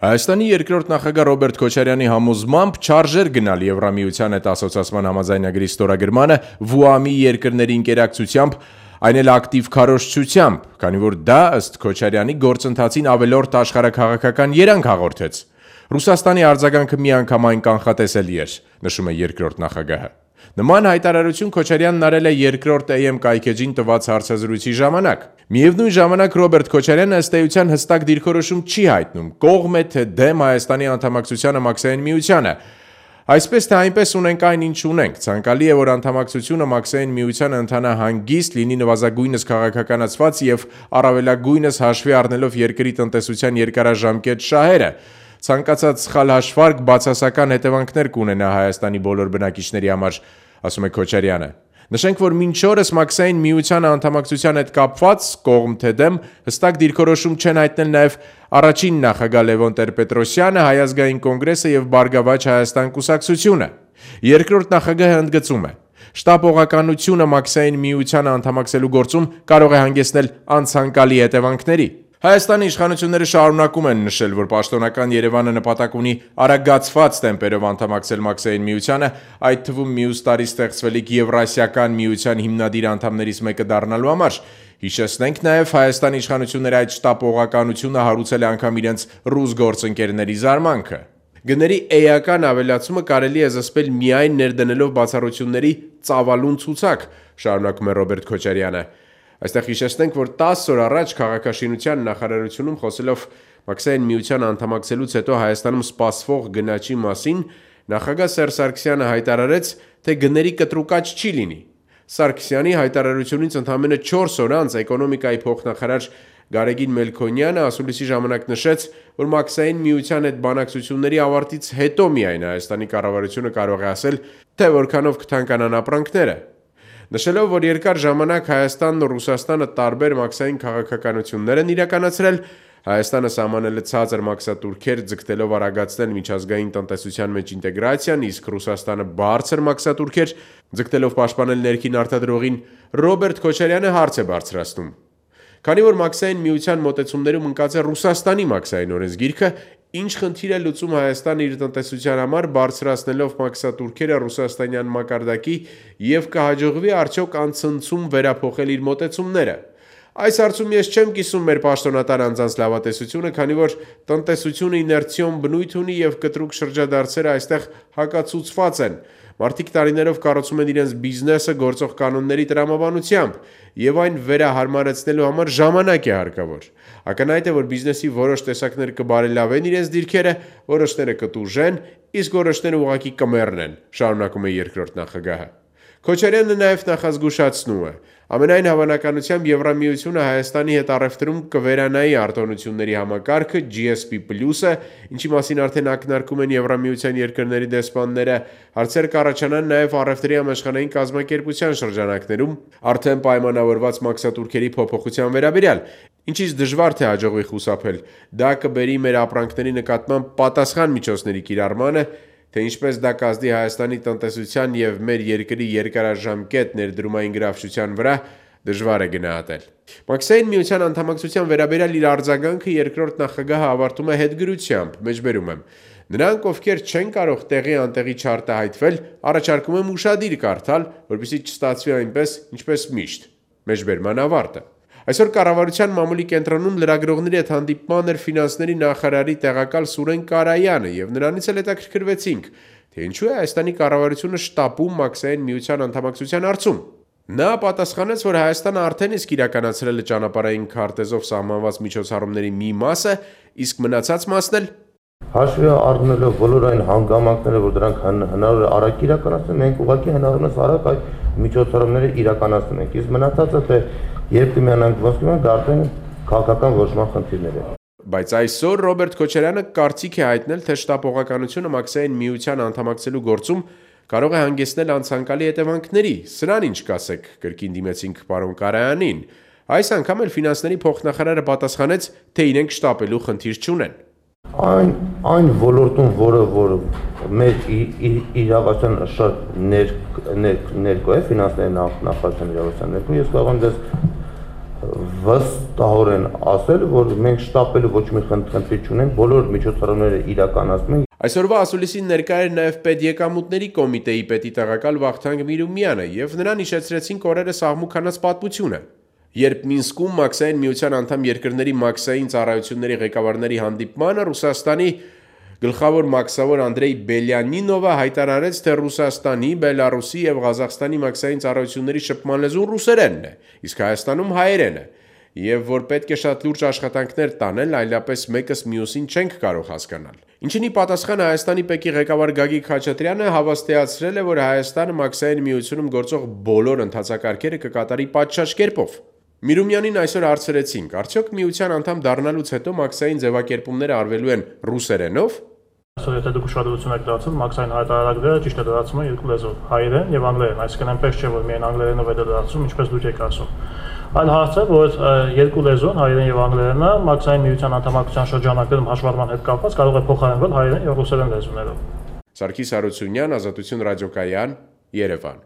Հայաստանի երկրորդ նախագահ Ռոբերտ Քոչարյանի համոզմամբ չարժեր գնալ Եվրամիության հետ ասոցիացման համաձայնագրի ստորագրմանը ՎՈԱՄ-ի երկրների ինտերակցությամբ, այն էլ ակտիվ քարոզչությամբ, քանի որ դա ըստ Քոչարյանի գործընթացին ավելորդ աշխարհաքաղաքական երանգ հաղորդեց։ Ռուսաստանի արձագանքը միանգամայն կանխատեսելի էր, նշում է երկրորդ նախագահը։ Նման հայտարարություն Քոչարյանն արել է երկրորդ AM կայքեջին տված հարցազրույցի ժամանակ։ Միևնույն ժամանակ Ռոբերտ Քոչարյանը ըստ էության հստակ դիրքորոշում չի հայտնում՝ կողմ է թե դեմ Հայաստանի անդամակցությանը Մաքսային միությանը։ Այսպես թե այնպես ունենք այն, ինչ ունենք։ Ցանկալի է, որ անդամակցությունը Մաքսային միությանը ընթանա հանգիստ, լինի նվազագույնս քաղաքականացված եւ առավելագույնս հաշվի առնելով երկրի տնտեսության երկարաժամկետ շահերը։ Ցանկացած սխալ հաշվարկ բացասական հետևանքներ կունենա Հայաստանի բոլոր բնակիչների համար, ասում է Քոչարյանը։ Նշենք, որ մինչ օրս Մաքսային միությանը անդամակցության հետ կապված կողմ թե դեմ հստակ դիրքորոշում չեն հայտնել նաև առաջին նախագահ Լևոն Տեր-Պետրոսյանը, Հայ ազգային կոնգրեսը եւ Բարգավաճ Հայաստան կուսակցությունը։ Երկրորդ նախագահը ընդգծում է. շտապողականությունը Մաքսային միությանը անդամակցելու գործում կարող է հանգեցնել անցանկալի հետևանքների։ Հայաստանի իշխանությունները շարունակում են նշել, որ պաշտոնական Երևանը նպատակ ունի արագացված տեմպերով անդամակցել Մաքսային միությանը, այդ թվում մյուս տարի ստեղծվելիք Եվրասիական միության հիմնադիր անդամներից մեկը դառնալու համար։ Հիշեցնենք նաև, Հայաստանի իշխանությունները այդ շտապողականությունը հարուցել է անգամ իրենց ռուս գործընկերների զարմանքը։ Գների էական ավելացումը կարելի է զսպել միայն ներդնելով բացառությունների ծավալուն ցուցակ, շարունակում է Ռոբերտ Քոչարյանը։ Այստեղ հիշեցնենք, որ 10 օր առաջ քաղաքաշինության նախարարությունում խոսելով Մաքսային միության անդամակցելուց հետո Հայաստանում սպասվող գնաճի մասին, նախագահ Սերժ Սարգսյանը հայտարարեց, թե գների կտրուկաճ չի լինի։ Սարգսյանի հայտարարությունից ընդամենը 4 օր անց էկոնոմիկայի փոխնախարար Գարեգին Մելքոնյանը ասուլիսի ժամանակ նշեց, որ Մաքսային միության հետ բանակցությունների ավարտից հետո միայն Հայաստանի կառավարությունը կարող է ասել, թե որքանով կթանկանան ապրանքները։ Նշելով, որ երկար ժամանակ Հայաստանն ու Ռուսաստանը տարբեր մաքսային քաղաքականություններ են իրականացրել, Հայաստանը սահմանել է ցածր մաքսատուրքեր ձգտելով արագացնել միջազգային տնտեսության մեջ ինտեգրացիան, իսկ Ռուսաստանը բարձր մաքսատուրքեր ձգտելով պաշտպանել ներքին արտադրողին, Ռոբերտ Քոչարյանը հարց է բարձրացնում։ Քանի որ Մաքսային միության մոտեցումներում ընկած է Ռուսաստանի մաքսային օրենսգիրքը, ինչ խնդիր է լուծում Հայաստանը իր տնտեսության համար բարձրացնելով մաքսատուրքերը ռուսաստանյան մակարդակի եւ կհաջողվի արդյոք անցնցում վերափոխել իր մոտեցումները։ Այս հարցում ես չեմ կիսում մեր պաշտոնատար անձանց լավատեսությունը, քանի որ տնտեսությունը իներցիոն բնույթ ունի եւ կտրուկ շրջադարձերը այստեղ հակացուցված են։ Մարդիկ տարիներով կառուցում են իրենց բիզնեսը գործող կանոնների տրամաբանությամբ եւ այն վերահարմարեցնելու համար ժամանակ է հարկավոր։ Ակնհայտ է, որ բիզնեսի որոշ տեսակներ կբարելավեն իրենց դիրքերը, որոշները կտուժեն, իսկ որոշները ուղղակի կմեռնեն, շարունակում է երկրորդ նախագահը։ Քոչարյանը նաև նախազգուշացնում է. ամենայն հավանականությամբ Եվրամիությունը Հայաստանի հետ առևտրում կվերանայի արտոնությունների համակարգը GSP+-ը, ինչի մասին արդեն ակնարկում են Եվրամիության երկրների դեսպանները, հարցեր կառաջանան նաև առևտրի համաշխարհային կազմակերպության շրջանակներում արդեն պայմանավորված մաքսատուրքերի փոփոխության վերաբերյալ, ինչից դժվար թե հաջողվի խուսափել։ Դա կբերի մեր ապրանքների նկատմամբ պատասխան միջոցների կիրառմանը, թե ինչպես դա կազդի Հայաստանի տնտեսության եւ մեր երկրի երկարաժամկետ ներդրումային գրավչության վրա, դժվար է գնահատել։ Մաքսային միության անդամակցության վերաբերյալ իր արձագանքը երկրորդ նախագահը ավարտում է հետգրությամբ, մեջբերում եմ. նրանք, ովքեր չեն կարող տեղի անտեղի չարտահայտվել, առաջարկում եմ ուշադիր կարդալ, որպեսզի չստացվի այնպես, ինչպես միշտ։ Մեջբերման ավարտը։ Այսօր կառավարության մամուլի կենտրոնում լրագրողների հետ հանդիպման էր ֆինանսների նախարարի տեղակալ Սուրեն Կարայանը եւ նրանից էլ հետաքրքրվեցինք, թե ինչու է Հայաստանի կառավարությունը շտապում Մաքսային միության անդամակցության հարցում։ Նա պատասխանեց, որ Հայաստանը արդեն իսկ իրականացրել է ճանապարհային քարտեզով սահմանված միջոցառումների մի մասը, իսկ մնացած մասն էլ հաշվի առնելով բոլոր այն հանգամանքները, որ դրանք հնարավոր է արագ իրականացնել, մենք ուղղակի հնարավորինս արագ այդ միջոցառումները իրականացնում ենք։ Իսկ մնացածը թե երբ կմիանանք ոսկի մենք դա արդեն քաղաքական որոշման խնդիրներ է։ Բայց այսօր Ռոբերտ Քոչարյանը կարծիք է հայտնել, թե շտապողականությունը Մաքսային միության անդամակցելու գործում կարող է հանգեցնել անցանկալի հետևանքների։ Սրան ինչ կասեք, կրկին դիմեցինք պարոն Կարայանին։ Այս անգամ էլ ֆինանսների փոխնախարարը պատասխանեց, թե իրենք շտապելու խնդիր չունեն։ Այն ոլորտում, որը մեր իրավասության շատ ներկո է ֆինանսների նախարարության իրավասության ներկո, ես կարող եմ դες վստահորեն ասել, որ մենք շտապելու ոչ մի խնդիր չունենք, բոլոր միջոցառումները իրականացնում ենք։ Այսօրվա ասուլիսին ներկա էր նաև պետեկամուտների կոմիտեի պետի տեղակալ Վախթանգ Միրումյանը եւ նրան հիշեցրեցին կորերը սահմուքանած պատմությունը։ Երբ Մինսկում Մաքսային միության անդամ երկրների մաքսային ծառայությունների ղեկավարների հանդիպմանը Ռուսաստանի գլխավոր մաքսավոր Անդրեյ Բելյանինովը հայտարարեց, թե Ռուսաստանի, Բելարուսի եւ Ղազախստանի մաքսային ծառայությունների շփման լեզուն ռուսերենն է, իսկ Հայաստանում հայերենը, եւ որ պետք է շատ լուրջ աշխատանքներ տանել, այլապես մեկս մյուսին չենք կարող հասկանալ։ Ինչինի պատասխան Հայաստանի ՊԵԿ-ի ղեկավար Գագիկ Խաչատրյանը հավաստիացրել է, որ Հայաստանը մաքսային միությունում գործող բոլոր ընթացակարգերը կկատարի պատշաճ կերպով։ Միրումյանին այսօր հարցրեցինք, արդյոք միության անդամ դառնալուց հետո մաքսային ձևակերպումները արվելու են ռուսերենով։ Այսօր եթե դուք ուշադրություն եք դարձել, մաքսային հայտարարակները ճիշտ է դարձում են երկու լեզվով՝ հայերեն եւ անգլերեն, այսինքն այնպես չէ, որ միայն անգլերենով է դարձում, ինչպես դուք եք ասում։ Այլ հարց է, որ երկու լեզուն, հայերեն եւ անգլերենը, մաքսային միության անդամակցության շրջանակներում հաշվառման հետ կապված կարող է փոխարինվել հայերեն եւ ռուսերեն լեզուներով։ Սարգիս Հարությունյան, Ազատություն ռադիոկայան, Երևան։